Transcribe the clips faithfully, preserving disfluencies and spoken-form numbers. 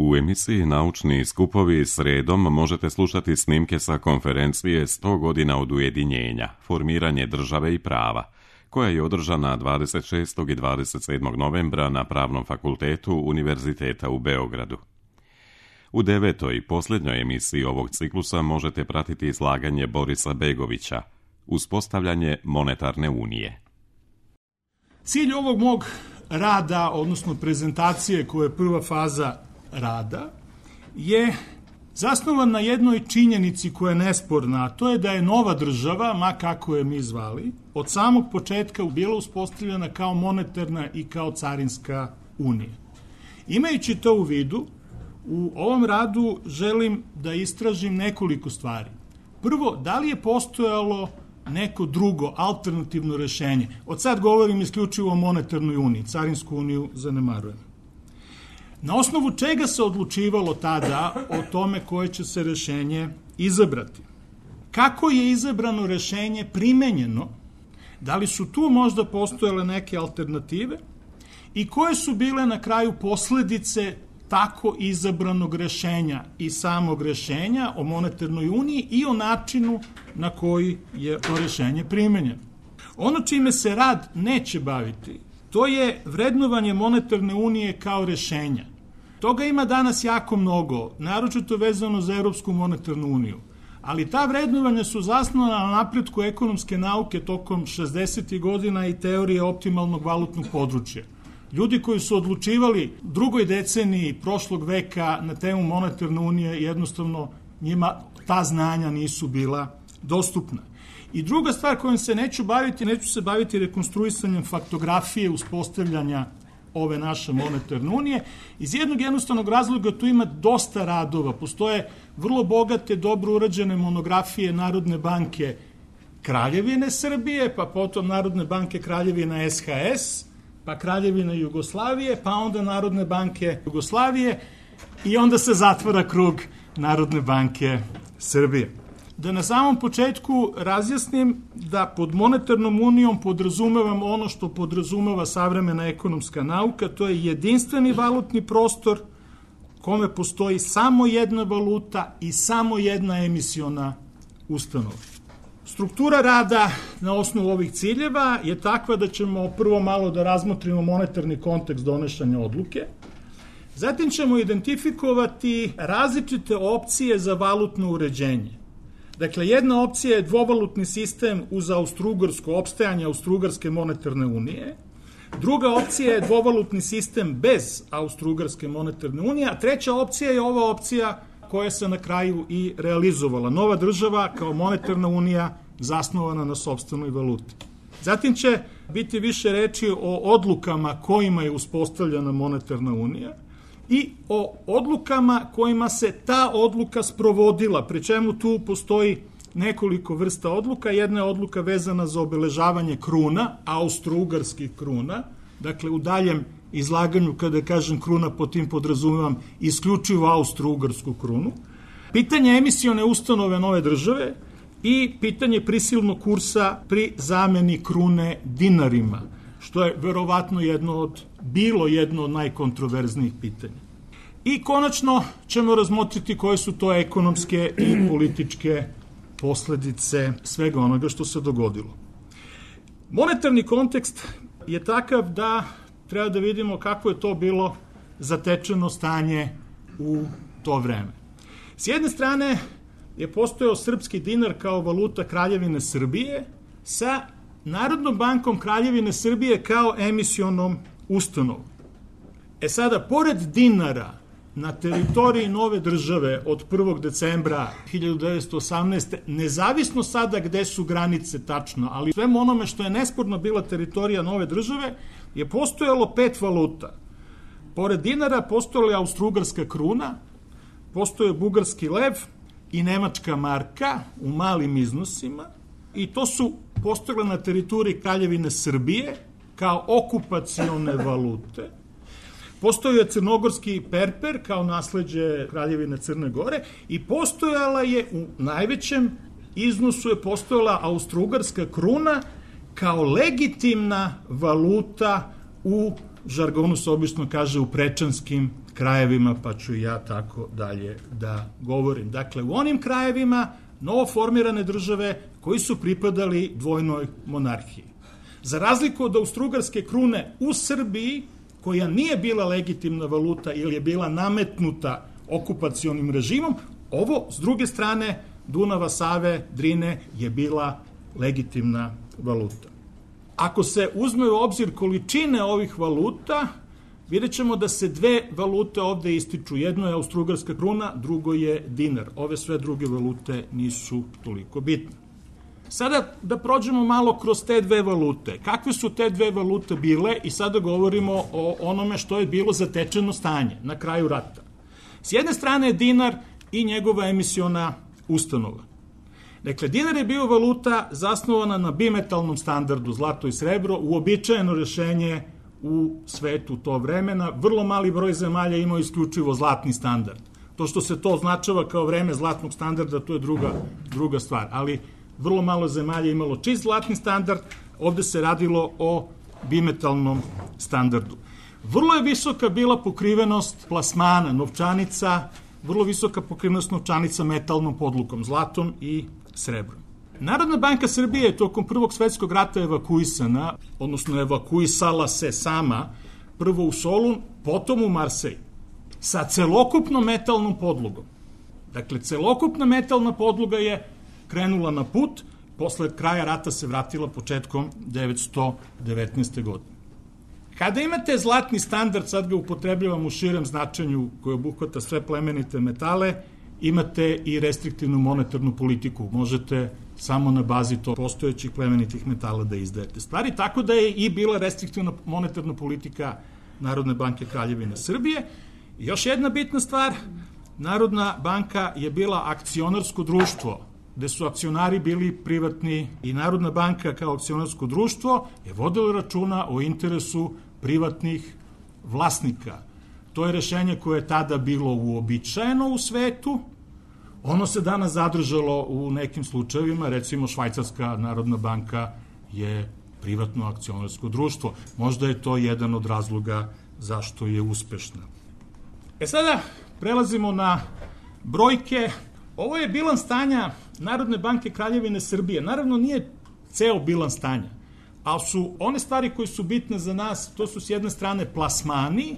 U emisiji Naučni skupovi sredom možete slušati snimke sa konferencije sto godina od ujedinjenja, formiranje države i prava, koja je održana dvadeset šestog i dvadeset sedmog novembra na Pravnom fakultetu Univerziteta u Beogradu. U devetoj i posljednjoj emisiji ovog ciklusa možete pratiti izlaganje Borisa Begovića, Uspostavljanje monetarne unije. Cilj ovog mog rada, odnosno prezentacije koja je prva faza rada, je zasnovan na jednoj činjenici koja je nesporna, a to je da je nova država, ma kako je mi zvali, od samog početka bila uspostavljena kao monetarna i kao carinska unija. Imajući to u vidu, u ovom radu želim da istražim nekoliko stvari. Prvo, da li je postojalo neko drugo, alternativno rešenje? Od sad govorim isključivo o monetarnoj uniji, carinsku uniju zanemarujem. Na osnovu čega se odlučivalo tada o tome koje će se rešenje izabrati? Kako je izabrano rešenje primenjeno? Da li su tu možda postojale neke alternative? I koje su bile na kraju posledice tako izabranog rešenja i samog rešenja o monetarnoj uniji i o načinu na koji je to rešenje primenjeno? Ono čime se rad neće baviti, to je vrednovanje monetarne unije kao rešenja. Toga ima danas jako mnogo, naročito vezano za Evropsku monetarnu uniju. Ali ta vrednovanja su zasnovana na napretku ekonomske nauke tokom šezdesetih godina i teorije optimalnog valutnog područja. Ljudi koji su odlučivali drugoj deceniji prošlog veka na temu monetarne unije, jednostavno njima ta znanja nisu bila dostupna. I druga stvar kojom se neću baviti, neću se baviti rekonstruisanjem faktografije uspostavljanja ove naše monetarne unije. Iz jednog jednostavnog razloga tu ima dosta radova. Postoje vrlo bogate, dobro urađene monografije Narodne banke Kraljevine Srbije, pa potom Narodne banke Kraljevina S H S, pa Kraljevina Jugoslavije, pa onda Narodne banke Jugoslavije i onda se zatvara krug Narodne banke Srbije. Da na samom početku razjasnim da pod monetarnom unijom podrazumevam ono što podrazumeva savremena ekonomska nauka, to je jedinstveni valutni prostor kome postoji samo jedna valuta i samo jedna emisiona ustanova. Struktura rada na osnovu ovih ciljeva je takva da ćemo prvo malo da razmotrimo monetarni kontekst donošenja odluke, zatim ćemo identifikovati različite opcije za valutno uređenje. Dakle, jedna opcija je dvovalutni sistem uz Austro-Ugarsku, opstajanje Austro-Ugarske monetarne unije. Druga opcija je dvovalutni sistem bez Austro-Ugarske monetarne unije, a treća opcija je ova opcija koja se na kraju i realizovala. Nova država kao monetarna unija zasnovana na sopstvenoj valuti. Zatim će biti više reči o odlukama kojima je uspostavljena monetarna unija i o odlukama kojima se ta odluka sprovodila, pri čemu tu postoji nekoliko vrsta odluka. Jedna je odluka vezana za obeležavanje kruna, austro-ugarskih kruna, dakle u daljem izlaganju kada kažem kruna, po tim podrazumevam isključivo austro-ugarsku krunu. Pitanje emisione ustanove nove države i pitanje prisilnog kursa pri zameni krune dinarima, što je verovatno jedno od, bilo jedno od najkontroverznijih pitanja. I konačno ćemo razmotriti koje su to ekonomske i političke posledice svega onoga što se dogodilo. Monetarni kontekst je takav da treba da vidimo kako je to bilo zatečeno stanje u to vreme. S jedne strane je postojao srpski dinar kao valuta Kraljevine Srbije sa Narodnom bankom Kraljevine Srbije kao emisionom ustanovom. E sada, pored dinara na teritoriji nove države od prvog decembra hiljadu devetsto osamnaeste. nezavisno sada gde su granice tačno, ali svemu onome što je nesporno bila teritorija nove države, je postojalo pet valuta. Pored dinara postojala je Austro-Ugarska kruna, postoje bugarski lev i nemačka marka u malim iznosima i to su postojale na teritoriji Kraljevine Srbije kao okupacione valute. Postojao je crnogorski perper kao nasleđe Kraljevine Crne Gore i postojala je u najvećem iznosu je postojala Austro-Ugarska kruna kao legitimna valuta u žargonu se obično kaže u prečanskim krajevima, pa ću ja tako dalje da govorim. Dakle, u onim krajevima novoformirane države koji su pripadali dvojnoj monarhiji. Za razliku od austrougarske krune u Srbiji, koja nije bila legitimna valuta ili je bila nametnuta okupacionim režimom, ovo, s druge strane, Dunava, Save, Drine je bila legitimna valuta. Ako se uzme u obzir količine ovih valuta, vidjet ćemo da se dve valute ovde ističu. Jedno je austrougarska kruna, drugo je dinar. Ove sve druge valute nisu toliko bitne. Sada da prođemo malo kroz te dve valute. Kakve su te dve valute bile i sada govorimo o onome što je bilo zatečeno stanje na kraju rata. S jedne strane je dinar i njegova emisiona ustanova. Dakle, dinar je bio valuta zasnovana na bimetalnom standardu, zlato i srebro, uobičajeno rešenje u svetu to vremena. Vrlo mali broj zemalja imao isključivo zlatni standard. To što se to označava kao vreme zlatnog standarda, to je druga, druga stvar, ali vrlo malo zemalja imalo čist zlatni standard, ovde se radilo o bimetalnom standardu. Vrlo je visoka bila pokrivenost plasmana, novčanica, vrlo visoka pokrivenost novčanica metalnom podlukom, zlatom i srebrom. Narodna banka Srbije je tokom Prvog svetskog rata evakuisana, odnosno evakuisala se sama, prvo u Solun, potom u Marsej, sa celokupnom metalnom podlogom. Dakle, celokupna metalna podloga je krenula na put, posle kraja rata se vratila početkom devetsto devetnaeste. godine. Kada imate zlatni standard, sad ga upotrebljavam u širem značenju koji obuhvata sve plemenite metale, imate i restriktivnu monetarnu politiku. Možete samo na bazi to postojećih plemenitih metala da izdajete stvari, tako da je i bila restriktivna monetarna politika Narodne banke Kraljevine Srbije. I još jedna bitna stvar, Narodna banka je bila akcionarsko društvo, gde su akcionari bili privatni i Narodna banka kao akcionarsko društvo je vodila računa o interesu privatnih vlasnika. To je rešenje koje je tada bilo uobičajeno u svetu. Ono se danas zadržalo u nekim slučajevima, recimo Švajcarska Narodna banka je privatno akcionarsko društvo. Možda je to jedan od razloga zašto je uspešna. E sada prelazimo na brojke. Ovo je bilans stanja Narodne banke Kraljevine Srbije. Naravno nije ceo bilans stanja, ali su one stvari koje su bitne za nas, to su s jedne strane plasmani.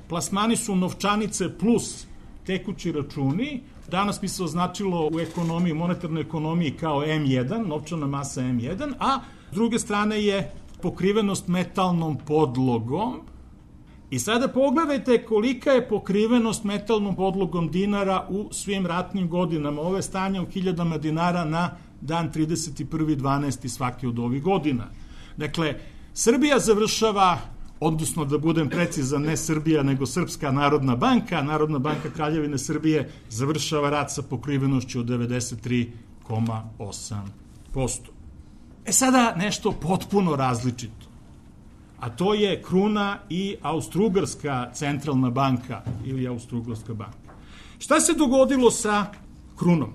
Plasmani su novčanice plus tekući računi. Danas bi se označilo u ekonomiji, monetarnoj ekonomiji kao em jedan, novčana masa em jedan, a s druge strane je pokrivenost metalnom podlogom. I sada pogledajte kolika je pokrivenost metalnom podlogom dinara u svim ratnim godinama. Ove stanje u hiljadama dinara na dan trideset prvi decembar svake od ovih godina. Dakle, Srbija završava, odnosno da budem precizan, ne Srbija, nego Srpska Narodna banka, Narodna banka Kraljevine Srbije završava rat sa pokrivenošću od devedeset tri zarez osam posto. E sada nešto potpuno različito, a to je kruna i Austrougarska centralna banka ili Austrougarska banka. Šta se dogodilo sa krunom?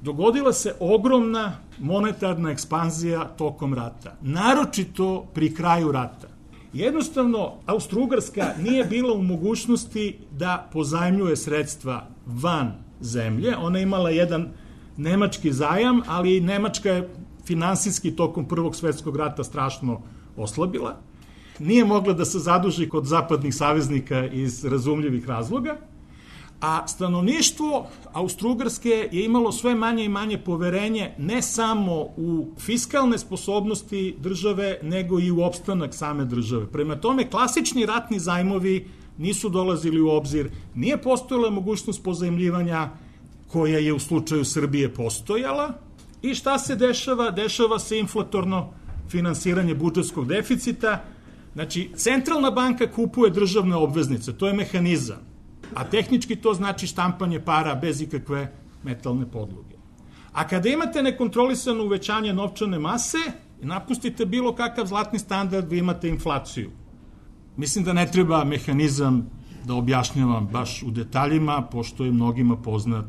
Dogodila se ogromna monetarna ekspanzija tokom rata, naročito pri kraju rata. Jednostavno, Austrougarska nije bila u mogućnosti da pozajmljuje sredstva van zemlje. Ona je imala jedan nemački zajam, ali Nemačka je finansijski tokom Prvog svetskog rata strašno oslabila. Nije mogla da se zaduži kod zapadnih saveznika iz razumljivih razloga, a stanovništvo Austrougarske je imalo sve manje i manje poverenje ne samo u fiskalne sposobnosti države, nego i u opstanak same države. Prema tome, klasični ratni zajmovi nisu dolazili u obzir, nije postojala mogućnost pozajmljivanja koja je u slučaju Srbije postojala. I šta se dešava? Dešava se inflatorno finansiranje budžetskog deficita. Znači, centralna banka kupuje državne obveznice, to je mehanizam, a tehnički to znači štampanje para bez ikakve metalne podloge. A kada imate nekontrolisano uvećanje novčane mase, napustite bilo kakav zlatni standard, vi imate inflaciju. Mislim da ne treba mehanizam da objašnjavam baš u detaljima, pošto je mnogima poznat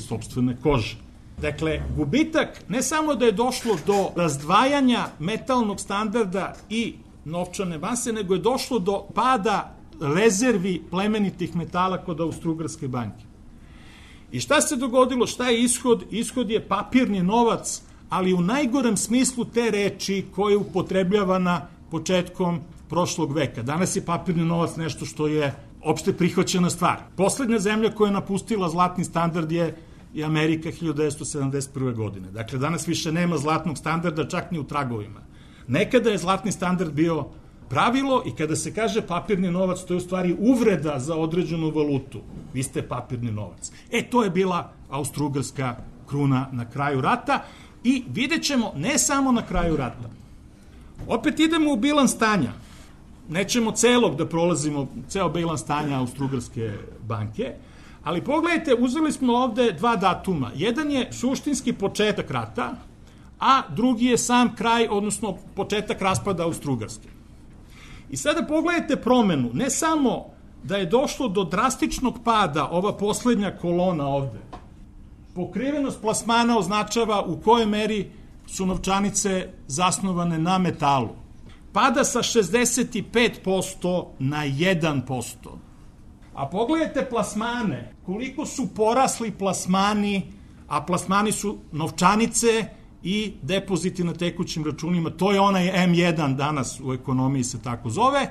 sopstvene kože. Dakle, gubitak ne samo da je došlo do razdvajanja metalnog standarda i novčane mase, nego je došlo do pada rezervi plemenitih metala kod Austrougarske banke. I šta se dogodilo, šta je ishod? Ishod je papirni novac, ali u najgorem smislu te reči koje je upotrebljavana početkom prošlog veka. Danas je papirni novac nešto što je opšte prihvaćena stvar. Poslednja zemlja koja je napustila zlatni standard je i Amerika hiljadu devetsto sedamdeset prve. godine. Dakle, danas više nema zlatnog standarda čak ni u tragovima. Nekada je zlatni standard bio pravilo i kada se kaže papirni novac, to je u stvari uvreda za određenu valutu. Vi ste papirni novac. E, to je bila Austrougarska kruna na kraju rata i vidjet ćemo ne samo na kraju rata. Opet idemo u bilans stanja. Nećemo celog da prolazimo, ceo bilans stanja Austrougarske banke, ali pogledajte, uzeli smo ovde dva datuma. Jedan je suštinski početak rata, a drugi je sam kraj, odnosno početak raspada Austrougarske. I sada pogledajte promenu, ne samo da je došlo do drastičnog pada, ova poslednja kolona ovde. Pokrivenost plasmana označava u kojoj meri su novčanice zasnovane na metalu. Pada sa šezdeset pet posto na jedan posto. A pogledajte plasmane, koliko su porasli plasmani, a plasmani su novčanice i depoziti na tekućim računima, to je onaj em jedan danas u ekonomiji se tako zove.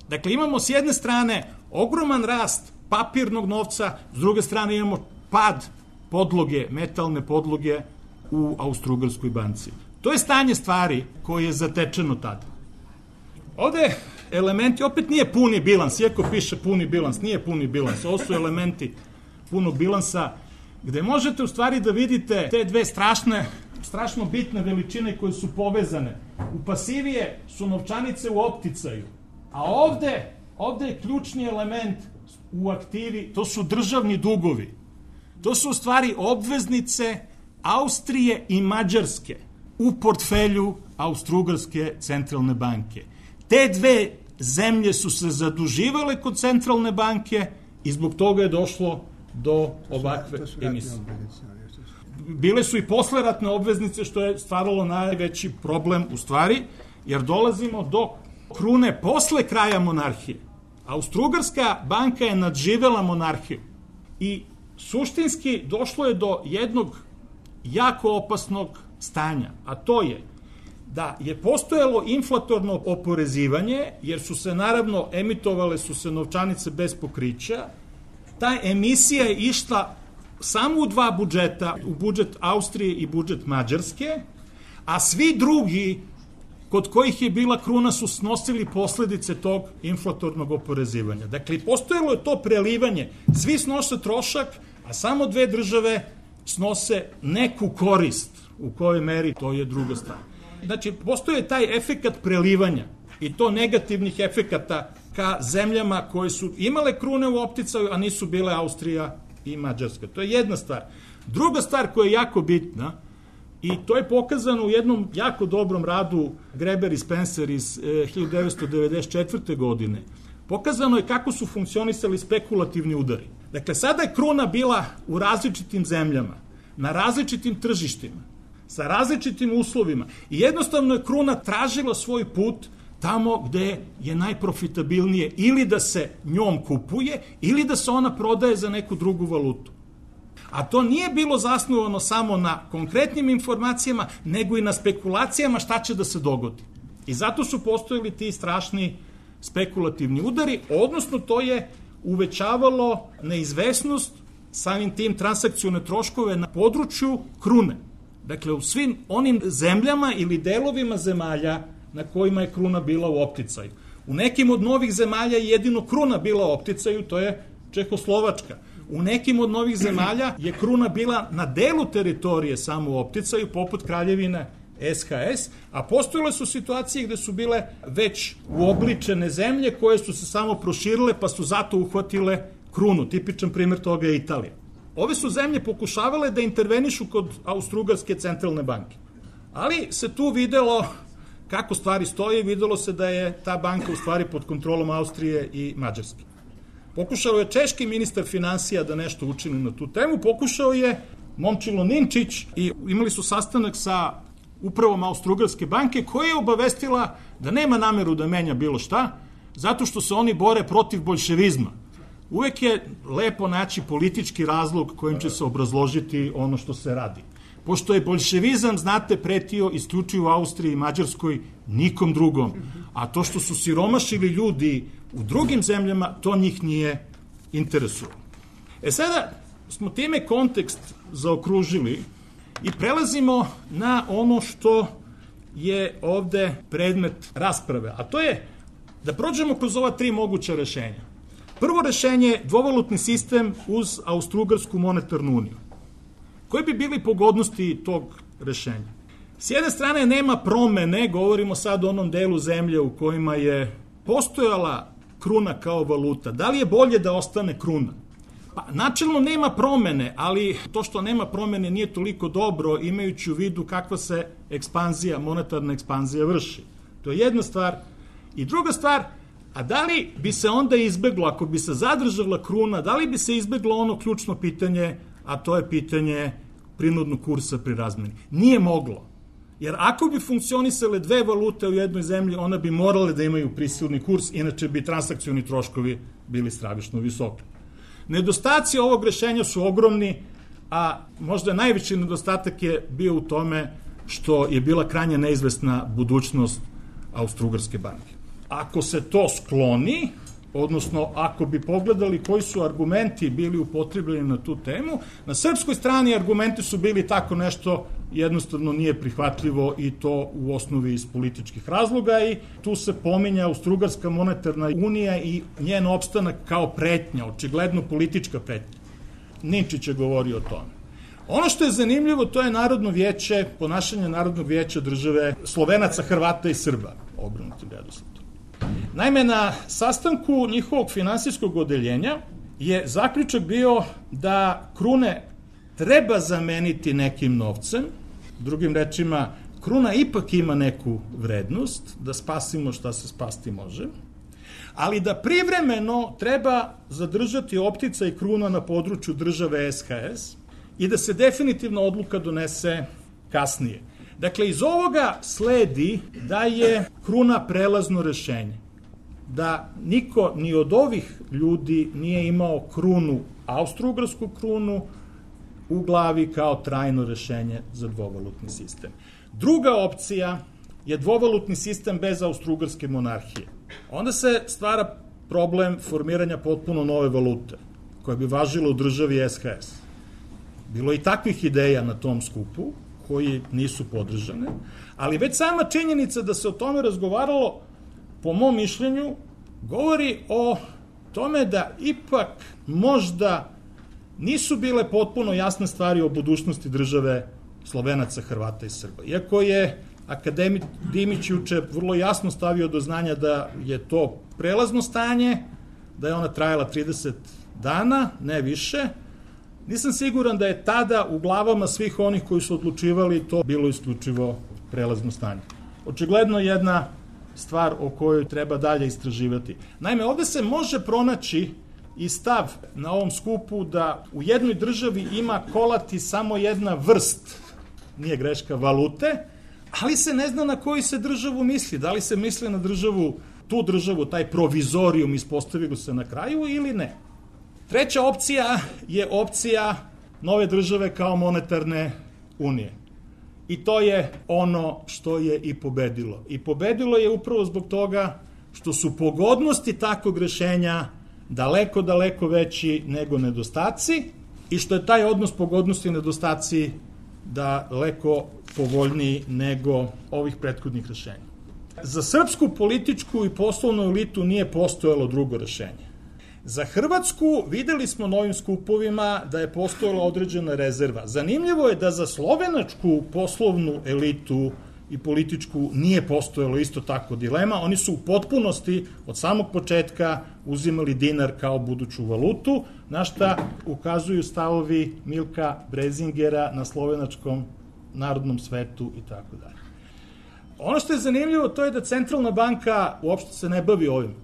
Dakle, imamo s jedne strane ogroman rast papirnog novca, s druge strane imamo pad podloge, metalne podloge u Austrougarskoj banci. To je stanje stvari koje je zatečeno tada. Ovde elementi, opet nije puni bilans, iako piše puni bilans, nije puni bilans, ovo su elementi punog bilansa, gde možete u stvari da vidite te dve strašne, strašno bitne veličine koje su povezane. U pasivije su novčanice u opticaju, a ovde, ovde je ključni element u aktivi, to su državni dugovi. To su u stvari obveznice Austrije i Mađarske u portfelju Austrougarske centralne banke. Te dve zemlje su se zaduživale kod centralne banke i zbog toga je došlo do ovakve emisije. Bile su i posleratne obveznice, što je stvaralo najveći problem u stvari, jer dolazimo do krune posle kraja monarhije. Austrougarska banka je nadživela monarhiju i suštinski došlo je do jednog jako opasnog stanja, a to je da je postojalo inflatorno oporezivanje, jer su se naravno emitovale su se novčanice bez pokrića. Ta emisija je išla samo u dva budžeta, u budžet Austrije i budžet Mađarske, a svi drugi kod kojih je bila kruna su snosili posledice tog inflatornog oporezivanja. Dakle, postojalo je to prelivanje. Svi snose trošak, a samo dve države snose neku korist. U kojoj meri, to je druga stvar. Znači, postoje taj efekat prelivanja i to negativnih efekata ka zemljama koje su imale krune u opticaju, a nisu bile Austrija i Mađarska. To je jedna stvar. Druga stvar koja je jako bitna, i to je pokazano u jednom jako dobrom radu Greber i Spencer iz eh, hiljadu devetsto devedeset četvrte. godine, pokazano je kako su funkcionisali spekulativni udari. Dakle, sada je kruna bila u različitim zemljama, na različitim tržištima, sa različitim uslovima i jednostavno je kruna tražila svoj put tamo gde je najprofitabilnije ili da se njom kupuje ili da se ona prodaje za neku drugu valutu. A to nije bilo zasnovano samo na konkretnim informacijama, nego i na spekulacijama šta će da se dogodi. I zato su postojali ti strašni spekulativni udari, odnosno to je uvećavalo neizvesnost, samim tim transakcione troškove na području krune. Dakle, u svim onim zemljama ili delovima zemalja na kojima je kruna bila u opticaju. U nekim od novih zemalja je jedino kruna bila u opticaju, to je Čehoslovačka. U nekim od novih zemalja je kruna bila na delu teritorije samo u opticaju, poput Kraljevine es ha es, a postojale su situacije gde su bile već uobličene zemlje koje su se samo proširile pa su zato uhvatile krunu. Tipičan primjer toga je Italija. Ove su zemlje pokušavale da intervenišu kod Austrougarske centralne banke. Ali se tu videlo kako stvari stoje, videlo se da je ta banka u stvari pod kontrolom Austrije i Mađarske. Pokušao je češki ministar finansija da nešto učini na tu temu, pokušao je Momčilo Ninčić i imali su sastanak sa upravom Austrougarske banke koja je obavestila da nema nameru da menja bilo šta, zato što se oni bore protiv boljševizma. Uvek je lepo naći politički razlog kojim će se obrazložiti ono što se radi. Pošto je boljševizam, znate, pretio isključivo u Austriji i Mađarskoj, nikom drugom. A to što su siromašili ljudi u drugim zemljama, to njih nije interesualo. E sada smo time kontekst zaokružili i prelazimo na ono što je ovde predmet rasprave, a to je da prođemo kroz ova tri moguća rešenja. Prvo rešenje je dvovalutni sistem uz Austro-Ugarsku monetarnu uniju. Koje bi bili pogodnosti tog rešenja? S jedne strane nema promene, govorimo sad o onom delu zemlje u kojima je postojala kruna kao valuta. Da li je bolje da ostane kruna? Pa, načelno nema promene, ali to što nema promene nije toliko dobro, imajući u vidu kakva se ekspanzija, monetarna ekspanzija vrši. To je jedna stvar. I druga stvar, a da li bi se onda izbeglo, ako bi se zadržala kruna, da li bi se izbeglo ono ključno pitanje, a to je pitanje prinudnog kursa pri razmeni? Nije moglo. Jer ako bi funkcionisale dve valute u jednoj zemlji, ona bi morale da imaju prisilni kurs, inače bi transakcioni troškovi bili stravično visoki. Nedostaci ovog rešenja su ogromni, a možda najveći nedostatak je bio u tome što je bila krajnje neizvesna budućnost Austro-Ugarske banke. Ako se to skloni, odnosno ako bi pogledali koji su argumenti bili upotrebljeni na tu temu, na srpskoj strani argumenti su bili tako nešto jednostavno nije prihvatljivo i to u osnovi iz političkih razloga i tu se pominja Austro-Ugarska monetarna unija i njen opstanak kao pretnja, očigledno politička pretnja. Ninčić je govorio o tome. Ono što je zanimljivo, to je Narodno vijeće, ponašanje Narodnog vijeća države Slovenaca, Hrvata i Srba, obrnutim redosledom. Naime, na sastanku njihovog finansijskog odeljenja je zaključak bio da krune treba zameniti nekim novcem, drugim rečima, kruna ipak ima neku vrednost, da spasimo šta se spasti može, ali da privremeno treba zadržati optica i kruna na području države S H S i da se definitivno odluka donese kasnije. Dakle, iz ovoga sledi da je kruna prelazno rešenje. Da niko ni od ovih ljudi nije imao krunu, austro-ugarsku krunu, u glavi kao trajno rešenje za dvovalutni sistem. Druga opcija je dvovalutni sistem bez austro-ugarske monarhije. Onda se stvara problem formiranja potpuno nove valute, koja bi važila u državi S H S. Bilo je i takvih ideja na tom skupu, koji nisu podržane, ali već sama činjenica da se o tome razgovaralo, po mom mišljenju, govori o tome da ipak možda nisu bile potpuno jasne stvari o budućnosti države Slovenaca, Hrvata i Srba. Iako je akademik Dimić juče vrlo jasno stavio do znanja da je to prelazno stanje, da je ona trajala trideset dana, ne više, nisam siguran da je tada u glavama svih onih koji su odlučivali to bilo isključivo prelazno stanje. Očigledno jedna stvar o kojoj treba dalje istraživati. Naime, ovde se može pronaći i stav na ovom skupu da u jednoj državi ima kolati samo jedna vrst, nije greška, valute, ali se ne zna na koju se državu misli. Da li se misli na državu, tu državu, taj provizorijum ispostavilo se na kraju ili ne. Treća opcija je opcija nove države kao monetarne unije. I to je ono što je i pobedilo. I pobedilo je upravo zbog toga što su pogodnosti takvog rešenja daleko, daleko veći nego nedostaci i što je taj odnos pogodnosti i nedostaci daleko povoljniji nego ovih prethodnih rešenja. Za srpsku političku i poslovnu elitu nije postojalo drugo rešenje. Za Hrvatsku videli smo na ovim skupovima da je postojala određena rezerva. Zanimljivo je da za slovenačku poslovnu elitu i političku nije postojalo isto tako dilema. Oni su u potpunosti od samog početka uzimali dinar kao buduću valutu, na šta ukazuju stavovi Milka Brezingera na slovenačkom narodnom svetu i tako dalje. Ono što je zanimljivo to je da Centralna banka uopšte se ne bavi ovim.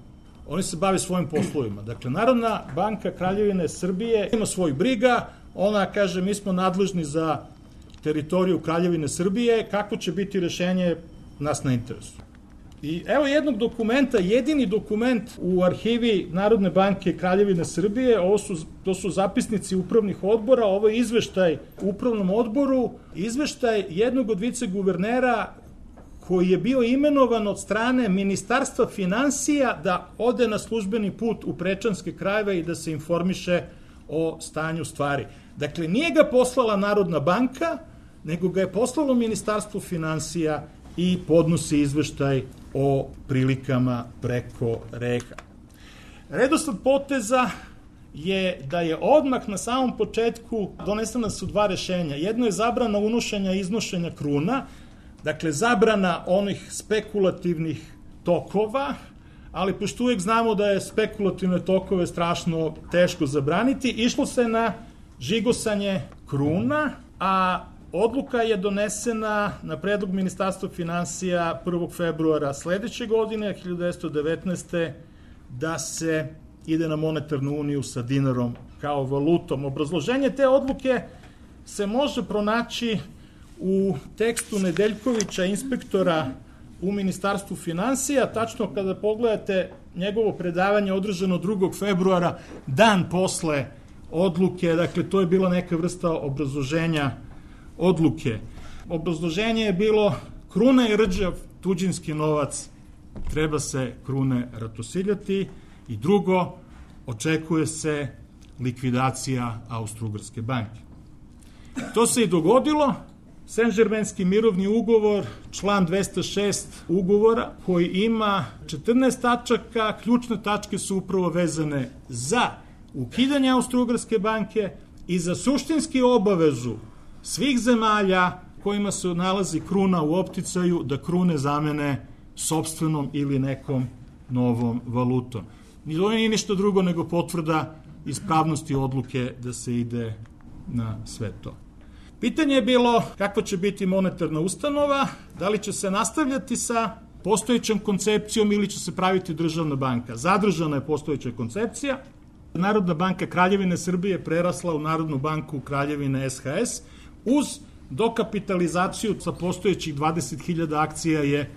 Oni se bave svojim poslovima. Dakle, Narodna banka Kraljevine Srbije ima svoj briga, ona kaže mi smo nadležni za teritoriju Kraljevine Srbije, kako će biti rešenje nas na interesu. I evo jednog dokumenta, jedini dokument u arhivi Narodne banke Kraljevine Srbije, ovo su, to su zapisnici upravnih odbora, ovo je izveštaj upravnom odboru, izveštaj jednog od viceguvernera koji je bio imenovan od strane Ministarstva finansija da ode na službeni put u prečanske krajeve i da se informiše o stanju stvari. Dakle, nije ga poslala Narodna banka, nego ga je poslalo Ministarstvo finansija i podnosi izveštaj o prilikama preko reka. Redosled poteza je da je odmah na samom početku donesena su dva rešenja. Jedno je zabrana unošenja i iznošenja kruna, dakle zabrana onih spekulativnih tokova, ali pošto uvijek znamo da je spekulativne tokove strašno teško zabraniti, išlo se na žigosanje kruna, a odluka je donesena na predlog Ministarstva finansija prvog februara sledeće godine, hiljadu devetsto devetnaeste. da se ide na monetarnu uniju sa dinarom kao valutom. Obrazloženje te odluke se može pronaći u tekstu Nedeljkovića, inspektora u Ministarstvu finansija, tačno kada pogledate njegovo predavanje održano drugog februara, dan posle odluke, dakle to je bila neka vrsta obrazloženja odluke. Obrazloženje je bilo: kruna je rđav tuđinski novac, treba se krune ratosiljati, i drugo, očekuje se likvidacija Austro-Ugarske banke. To se i dogodilo. Saint-Germainski mirovni ugovor, član dvesta šest ugovora, koji ima četrnaest tačaka, ključne tačke su upravo vezane za ukidanje Austro-Ugarske banke i za suštinski obavezu svih zemalja kojima se nalazi kruna u opticaju da krune zamene sopstvenom ili nekom novom valutom. To nije ništa drugo nego potvrda ispravnosti odluke da se ide na sve to. Pitanje je bilo kakva će biti monetarna ustanova, da li će se nastavljati sa postojećom koncepcijom ili će se praviti državna banka. Zadržana je postojeća koncepcija. Narodna banka Kraljevine Srbije prerasla u Narodnu banku Kraljevine S H S. Uz dokapitalizaciju sa postojećih dvadeset hiljada akcija je e,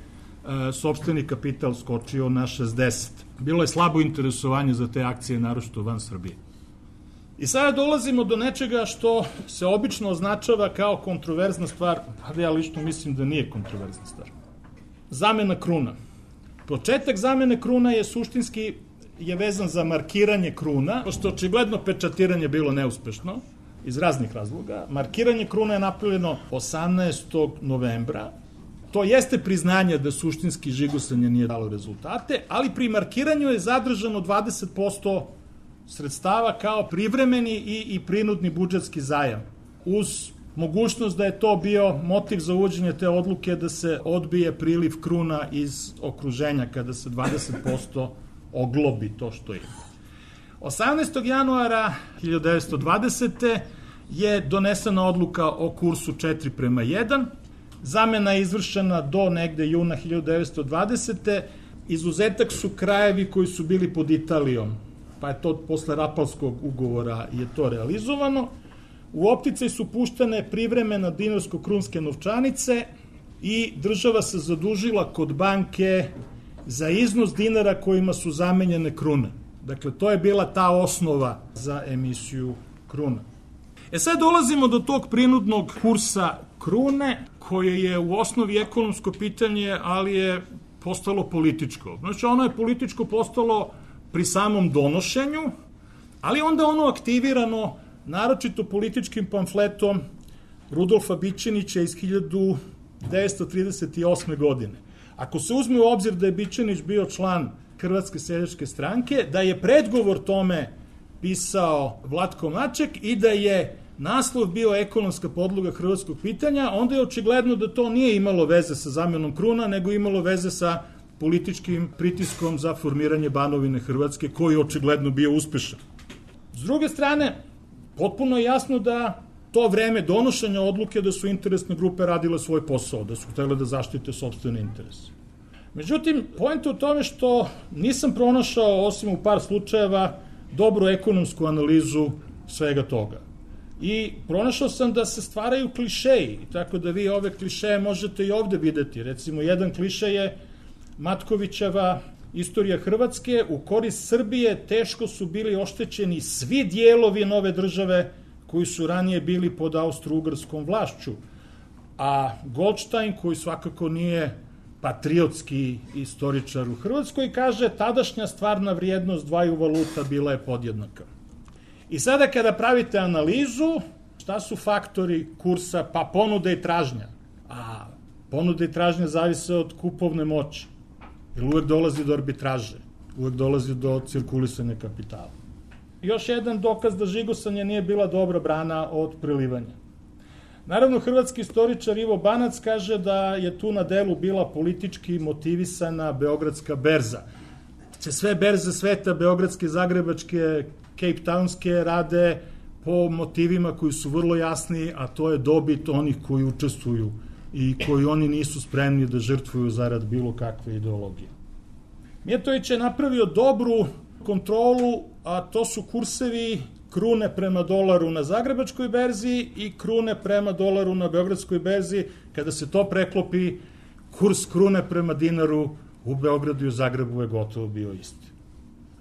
sopstveni kapital skočio na šezdeset. Bilo je slabo interesovanje za te akcije, naročito van Srbije. I sada dolazimo do nečega što se obično označava kao kontroverzna stvar, ali ja lično mislim da nije kontroverzna stvar. Zamena kruna. Početak zamene kruna je suštinski je vezan za markiranje kruna, pošto očigledno pečatiranje bilo neuspešno, iz raznih razloga. Markiranje kruna je napravljeno osamnaestog novembra. To jeste priznanje da suštinski žigosanje nije dalo rezultate, ali pri markiranju je zadržano dvadeset posto sredstava kao privremeni i, i prinudni budžetski zajam, uz mogućnost da je to bio motiv za uvođenje te odluke da se odbije priliv kruna iz okruženja kada se dvadeset posto oglobi to što je. osamnaestog januara hiljadu devetsto dvadesete. je donesena odluka o kursu četiri prema jedan. Zamena je izvršena do negde juna hiljadu devetsto dvadesete. Izuzetak su krajevi koji su bili pod Italijom, pa je to posle Rapalskog ugovora je to realizovano. U opticaj su puštene privremeno dinarsko-krunske novčanice i država se zadužila kod banke za iznos dinara kojima su zamenjene krune. Dakle, to je bila ta osnova za emisiju kruna. E sad dolazimo do tog prinudnog kursa krune, koje je u osnovi ekonomsko pitanje, ali je postalo političko. Znači, ono je političko postalo pri samom donošenju, ali onda ono aktivirano naročito političkim pamfletom Rudolfa Bićenića iz hiljadu devetsto trideset osme. godine. Ako se uzme u obzir da je Bićenić bio član Hrvatske seljačke stranke, da je predgovor tome pisao Vlatko Maček i da je naslov bio ekonomska podloga hrvatskog pitanja, onda je očigledno da to nije imalo veze sa zamenom kruna, nego imalo veze sa političkim pritiskom za formiranje Banovine Hrvatske, koji je očigledno bio uspešan. S druge strane, potpuno je jasno da to vreme donošenja odluke da su interesne grupe radile svoj posao, da su htjele da zaštite sopstvene interese. Međutim, poenta u tome što nisam pronašao, osim u par slučajeva, dobru ekonomsku analizu svega toga. I pronašao sam da se stvaraju klišeji, tako da vi ove klišeje možete i ovde videti. Recimo, jedan klišej je Matkovićeva Istorija Hrvatske, u korist Srbije teško su bili oštećeni svi dijelovi nove države koji su ranije bili pod austro-ugarskom vlašću, a Goldstein, koji svakako nije patriotski istoričar u Hrvatskoj, kaže tadašnja stvarna vrijednost dvaju valuta bila je podjednaka. I sada kada pravite analizu, šta su faktori kursa? Pa ponuda i tražnja. A ponuda i tražnja zavise od kupovne moći. Jer uvek dolazi do arbitraže, uvek dolazi do cirkulisanja kapitala. Još jedan dokaz da žigosanje nije bila dobra brana od prelivanja. Naravno, hrvatski istoričar Ivo Banac kaže da je tu na delu bila politički motivisana Beogradska berza. Sve berze sveta, beogradske, zagrebačke, Cape Townske, rade po motivima koji su vrlo jasni, a to je dobit onih koji učestvuju i koji oni nisu spremni da žrtvuju zarad bilo kakve ideologije. Mijatović je napravio dobru kontrolu, a to su kursevi krune prema dolaru na zagrebačkoj berzi i krune prema dolaru na beogradskoj berzi. Kada se to preklopi, kurs krune prema dinaru u Beogradu i u Zagrebu je gotovo bio isti.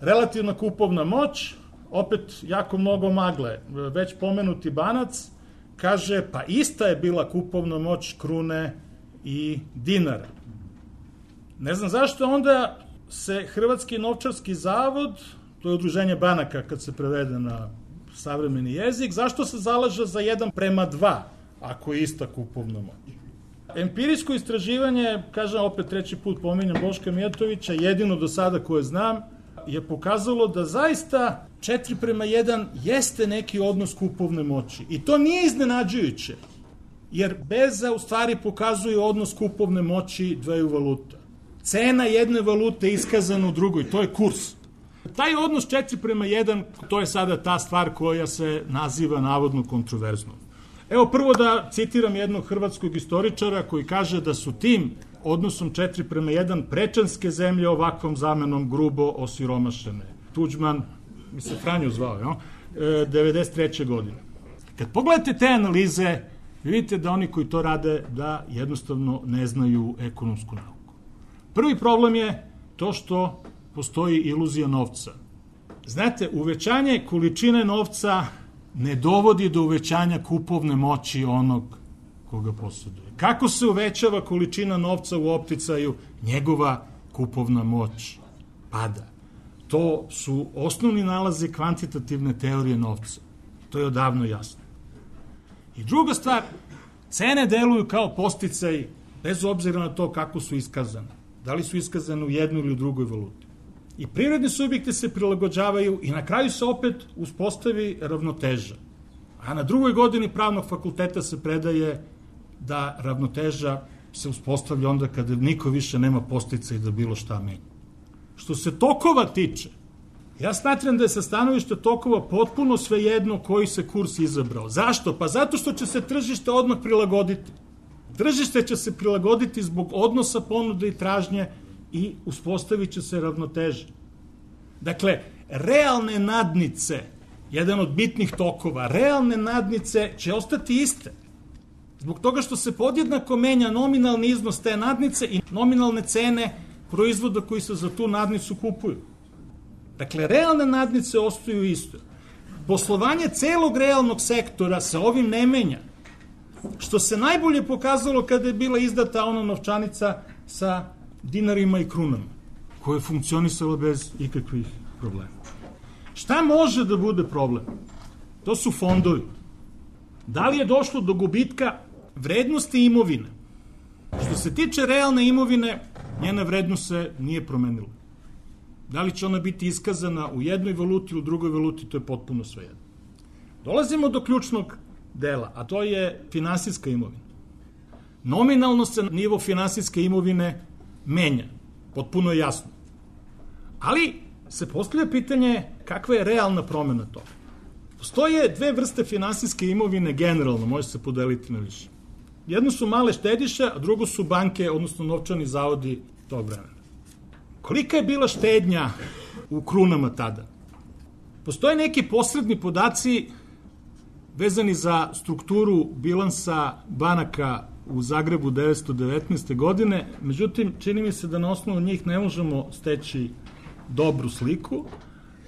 Relativna kupovna moć, opet jako mnogo magle. Već pomenuti Banac kaže, pa ista je bila kupovna moć krune i dinara. Ne znam zašto onda se Hrvatski novčarski zavod, to je udruženje banaka kad se prevede na savremeni jezik, zašto se zalaže za jedan prema dva, ako je ista kupovna moć? Empirijsko istraživanje, kažem opet treći put pominjam Boška Mijatovića, jedino do sada koje znam, je pokazalo da zaista četiri prema jedan jeste neki odnos kupovne moći. I to nije iznenađujuće, jer berza u stvari pokazuje odnos kupovne moći dveju valuta. Cena jedne valute je iskazana u drugoj, to je kurs. Taj odnos četiri prema jedan, to je sada ta stvar koja se naziva navodno kontroverznom. Evo prvo da citiram jednog hrvatskog istoričara koji kaže da su tim odnosom četiri prema jedan prečanske zemlje ovakvom zamenom grubo osiromašene. Tuđman, mi se Franjo zvao, jo? devedeset treće godine. Kad pogledate te analize, vidite da oni koji to rade da jednostavno ne znaju ekonomsku nauku. Prvi problem je to što postoji iluzija novca. Znate, uvećanje količine novca ne dovodi do uvećanja kupovne moći onog koga posjeduje. Kako se uvećava količina novca u opticaju? Njegova kupovna moć pada. To su osnovni nalazi kvantitativne teorije novca. To je odavno jasno. I druga stvar, cene deluju kao podsticaj bez obzira na to kako su iskazane. Da li su iskazane u jednoj ili u drugoj valuti. I privredni subjekti se prilagođavaju i na kraju se opet uspostavi ravnoteža. A na drugoj godini pravnog fakulteta se predaje da ravnoteža se uspostavlja onda kada niko više nema podsticaj da bilo šta menja. Što se tokova tiče, ja smatram da je sa stanovišta tokova potpuno svejedno koji se kurs izabrao. Zašto? Pa zato što će se tržište odmah prilagoditi. Tržište će se prilagoditi zbog odnosa ponude i tražnje i uspostavit će se ravnoteže. Dakle, realne nadnice, jedan od bitnih tokova, realne nadnice će ostati iste. Zbog toga što se podjednako menja nominalni iznos te nadnice i nominalne cene proizvoda koji se za tu nadnicu kupuju. Dakle, realne nadnice ostaju isto. Poslovanje celog realnog sektora se ovim ne menja. Što se najbolje pokazalo kada je bila izdata ona novčanica sa dinarima i krunama, koja je funkcionisala bez ikakvih problema. Šta može da bude problem? To su fondovi. Da li je došlo do gubitka vrednosti imovine? Što se tiče realne imovine, njena vrednost se nije promenila. Da li će ona biti iskazana u jednoj valuti ili u drugoj valuti, to je potpuno svejedno. Dolazimo do ključnog dela, a to je finansijska imovina. Nominalno se nivo finansijske imovine menja, potpuno je jasno. Ali se postavlja pitanje kakva je realna promena toga. Postoje dve vrste finansijske imovine generalno, može se podeliti na više. Jedno su male štediše, a drugo su banke, odnosno novčani zavodi tog vremena. Kolika je bila štednja u krunama tada? Postoje neki posredni podaci vezani za strukturu bilansa banaka u Zagrebu devetsto devetnaeste. godine, međutim, čini mi se da na osnovu njih ne možemo steći dobru sliku,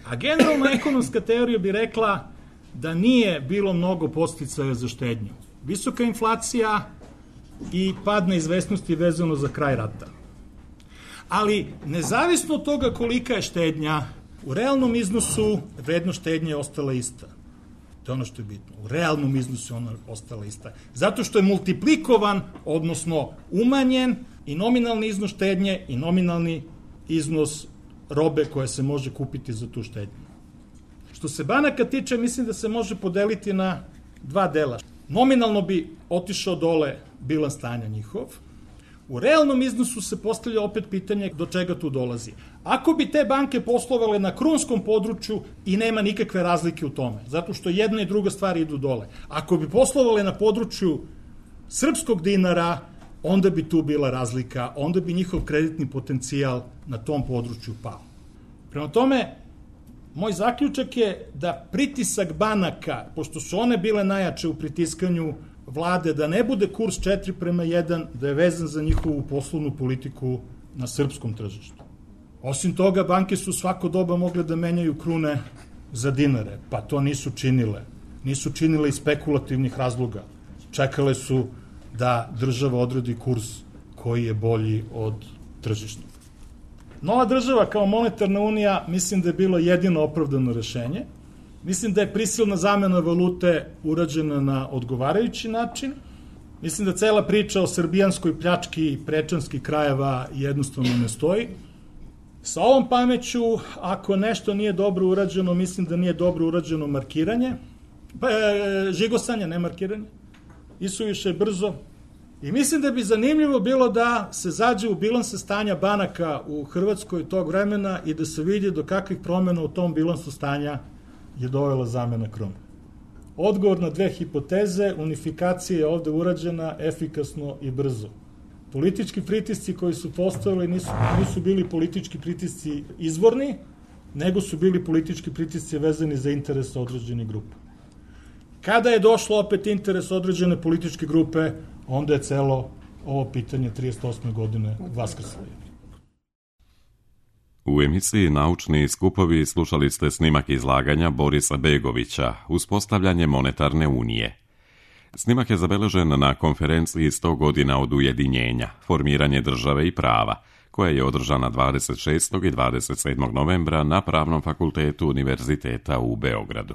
a generalna ekonomska teorija bi rekla da nije bilo mnogo podsticaja za štednju. Visoka inflacija i pad neizvesnosti vezano za kraj rata. Ali, nezavisno od toga kolika je štednja, u realnom iznosu vrednost štednje je ostala ista. To je ono što je bitno. U realnom iznosu je ona ostala ista. Zato što je multiplikovan, odnosno umanjen i nominalni iznos štednje i nominalni iznos robe koja se može kupiti za tu štednju. Što se banaka tiče, mislim da se može podeliti na dva dela. Nominalno bi otišao dole bilans stanja njihov. U realnom iznosu se postavlja opet pitanje do čega tu dolazi. Ako bi te banke poslovale na krunskom području i nema nikakve razlike u tome, zato što jedna i druga stvar idu dole. Ako bi poslovale na području srpskog dinara, onda bi tu bila razlika, onda bi njihov kreditni potencijal na tom području pao. Prema tome, moj zaključak je da pritisak banaka, pošto su one bile najjače u pritiskanju vlade, da ne bude kurs četiri prema jedan, da je vezan za njihovu poslovnu politiku na srpskom tržištu. Osim toga, banke su svako doba mogle da menjaju krune za dinare, pa to nisu činile. Nisu činile iz spekulativnih razloga. Čekale su da država odredi kurs koji je bolji od tržišnog. Nova država kao monetarna unija mislim da je bilo jedino opravdano rešenje. Mislim da je prisilna zamena valute urađena na odgovarajući način. Mislim da cela priča o srbijanskoj pljački i prečanskih krajeva jednostavno ne stoji. Sa ovom pameću, ako nešto nije dobro urađeno, mislim da nije dobro urađeno markiranje, pa, e, žigosanje, ne markiranje, isuviše brzo. I mislim da bi zanimljivo bilo da se zađe u bilanse stanja banaka u Hrvatskoj tog vremena i da se vidi do kakvih promjena u tom bilansu stanja je dovela zamena krune. Odgovor na dve hipoteze, unifikacija je ovde urađena efikasno i brzo. Politički pritisci koji su postavili nisu, nisu bili politički pritisci izvorni, nego su bili politički pritisci vezani za interese određenih grupa. Kada je došlo opet interes određene političke grupe, onda je celo ovo pitanje trideset osme. godine vaskrslo. U emisiji Naučni skupovi slušali ste snimak izlaganja Borisa Begovića, Uspostavljanje monetarne unije. Snimak je zabeležen na konferenciji sto godina od ujedinjenja, Formiranje države i prava, koja je održana dvadeset šestog i dvadeset sedmog novembra na Pravnom fakultetu Univerziteta u Beogradu.